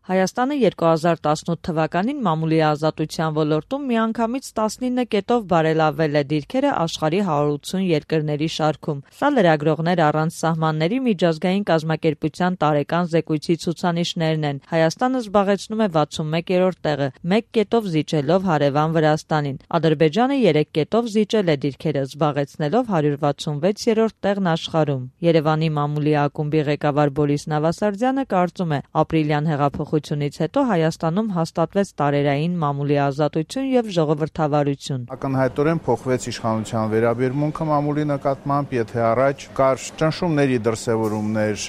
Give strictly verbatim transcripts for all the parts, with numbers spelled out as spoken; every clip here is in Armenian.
Հայաստանը երկու հազար տասնութ թվականին մամուլի ազատության ոլորտում միանգամից տասնինը կետով բարելավել է դիրքերը աշխարհի հարյուր ութսուն երկրների շարքում։ Սա լրագրողներ առանց սահմանների միջազգային կազմակերպության տարեկան զեկույցի ցուցանիշներն են։ Հայաստանը զբաղեցնում է վաթսունմեկերորդ տեղը, մեկ կետով զիջելով հարևան Վրաստանին։ Ադրբեջանը երեք կետով զիջել է դիրքերը, զբաղեցնելով հարյուր վաթսունվեցերորդ տեղն աշխարհում։ Երևանի մամուլի ակումբի ղեկավար Բորիս Նավասարդյանը կարծում է, ապրիլյան հեղափոխությունից հետո Հայաստանում հաստատվեց տարերային մամուլի ազատություն եւ ժողովրդավարություն։ Ակնհայտորեն փոխվեց իշխանության վերաբերմունքը մամուլի նկատմամբ, եթե առաջ կար ճնշումների դրսևորումներ,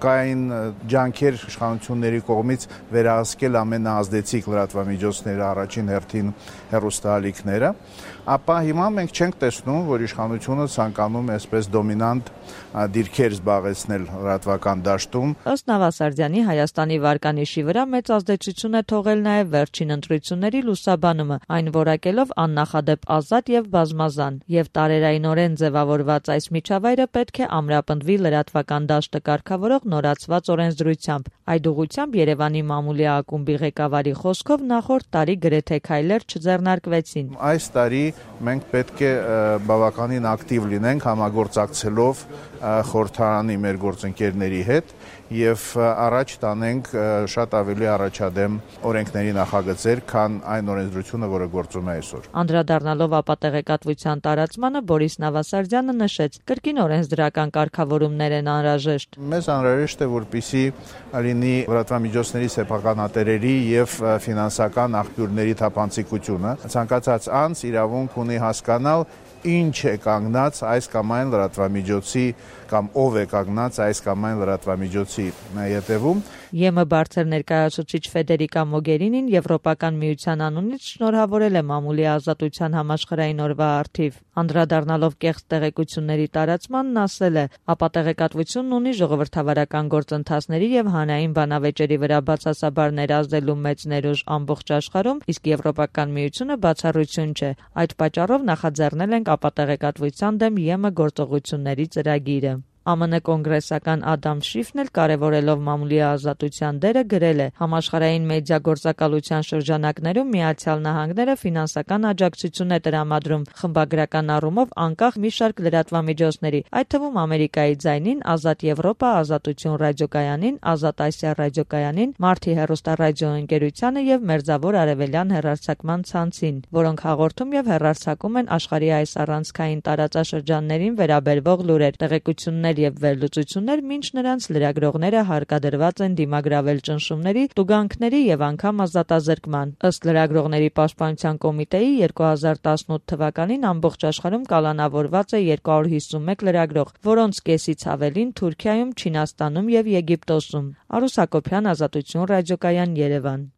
կային ջանքեր իշխանությունների կողմից վերահսկել ամենաազդեցիկ լրատվամիջոցները, առաջին հերթին հեռուստաալիքները, ապա հիմա մենք չենք տեսնում, որ իշխանությունը ցանկանում է այսպես դոմինանտ դիրքեր զբաղեցնել լրատվական դաշտում։ Ըստ Նավասարդյանի, Հայաստանի վարկանիշի վրա մեծ ազդեցություն է թողել նաև վերջին ընտրությունների լուսաբանումը, այն որակելով աննախադեպ ազատ եւ բազմազան, եւ տարերայնորեն ձևավորված այս միջավայրը պետք է ամրապնդվի լրատվական դաշտը կարգավորող նորացված օրենսդրությամբ։ Այդ ուղղությամբ Երևանի մամուլի ակումբի ղեկավարի խոսքով նախորդ տարի գրեթե քայլեր չձեռնարկվեցին։ Այս տարի մենք պետք է բավականին ակտիվ լինենք համագործակցելով խորհրդարանի մեր գործընկերների հետ եւ առաջ տանենք շատ ավելի առաջադեմ օրենքների նախագծեր, քան այն օրենսդրությունը, որը գործում է այսօր։ Անդրադառնալով ապատեղեկատվության տարածմանը, Բորիս Նավասարդյանը նշեց, կրկին օրենսդրական կարգավորումներ են անհրաժեշտ։ Մեզ անհրաժեշտ է, որպեսզի լինի լրատվամիջոցների սեփականատերերի եւ ֆինանսական աղբյուրների թափանցիկությունը։ Ցանկացած անձ իրավունք ունի հասկանալ ինչ է կանգնած այս կամ այն լրատվամիջոցի կամ ով է կանգնած այս կամ այն լրատվամիջոցի ետևում։ ԵՄ բարձր ներկայացուցիչ Ֆեդերիկա Մոգերինին Եվրոպական միության անունից շնորհավորել է մամուլի ազատության համաշխարհային օրվա առթիվ։ Անդրադառնալով կեղծ տեղեկությունների տարածմանն, ասել է, ապատեղեկատվությունն ունի ժողովրդավարական գործընթացների եւ հանրային բանավեճերի վրա բացասաբար ներազդելու մեծ ներուժ ամբողջ աշխարհում, իսկ Եվրոպական միությունը բացառություն չէ։ Այդ պատճառով նախաձեռնել ենք ապատեղեկատվության դեմ ԵՄ գործողությունների ծրագիրը։ ԱՄՆ կոնգրեսական Ադամ Շիֆն էլ կարևորելով մամուլի ազատության դերը գրել է. համաշխարհային մեդիա գործակալության շրջանակներում Միացյալ Նահանգները ֆինանսական աջակցություն է տրամադրում խմբագրական առումով անկախ մի շարք լրատվամիջոցների, այդ թվում Ամերիկայի ձայնին, Ազատ Եվրոպա, Ազատություն ռադիոկայանին, Ազատ Ասիա ռադիոկայանին, Մարտի հեռուստառադիոընկերությանը եւ Մերձավոր Արևելյան հեռարձակման ցանցին, որոնք հաղորդում եւ հեռարձակում են աշխարհի այս առանցքային տարածաշրջաններին վերաբերվող լուրեր, տեղեկություններ եւ վերլուծություններ, մինչ նրանց լրագրողները հարկադրված են դիմագրավել ճնշումների, տուգանքների եւ անգամ ազատազրկման։ Ըստ լրագրողների պաշտպանության կոմիտեի երկու հազար տասնութ թվականին ամբողջ աշխարհում կալանավորված է երկու հարյուր հիսունմեկ լրագրող, որոնց կեսից ավելին Թուրքիայում, Չինաստանում եւ Եգիպտոսում։ Արուս Հակոբյան, Ազատություն ռադիոկայան, Երևան։